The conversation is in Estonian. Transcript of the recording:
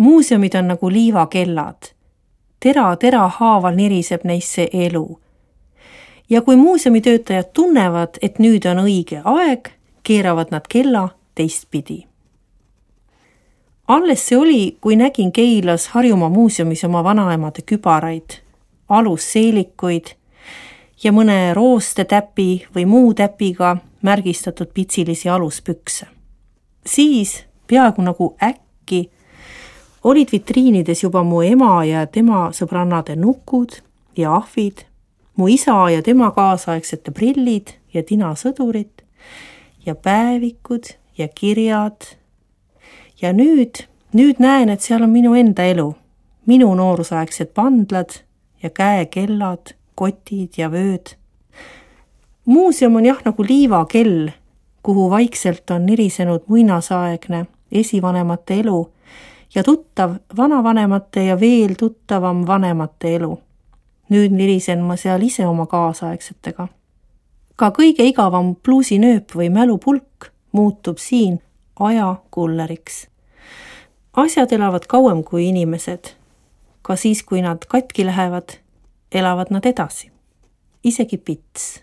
Muuseumid on nagu liivakellad. Tera haaval niriseb neisse elu. Ja kui muuseumitöötajad tunnevad, et nüüd on õige aeg, keeravad nad kella teistpidi. Alles see oli, kui nägin Keilas Harjumaa muuseumis oma vanaemade kübaraid, alusseelikuid ja mõne roostetäpi või muu täpiga märgistatud pitsilisi aluspükse. Siis, peaaegu nagu äkki, olid vitriinides juba mu ema ja tema sõbrannade nukud ja ahvid, mu isa ja tema kaasaegsete prillid ja tinasõdurid ja päevikud ja kirjad. Ja nüüd näen, et seal on minu enda elu, minu noorusaegsed pandlad ja käekellad, kotid ja vööd. Muuseum on jah nagu liivakell, kuhu vaikselt on nirisenud muinasaegne esivanemate elu ja tuttav vanavanemate ja veel tuttavam vanemate elu. Nüüd nirisen ma seal ise oma kaasaegsetega. Ka kõige igavam pluusinööp või mälupulk muutub siin aja kulleriks. Asjad elavad kauem kui inimesed. Ka siis, kui nad katki lähevad, elavad nad edasi. Isegi pits.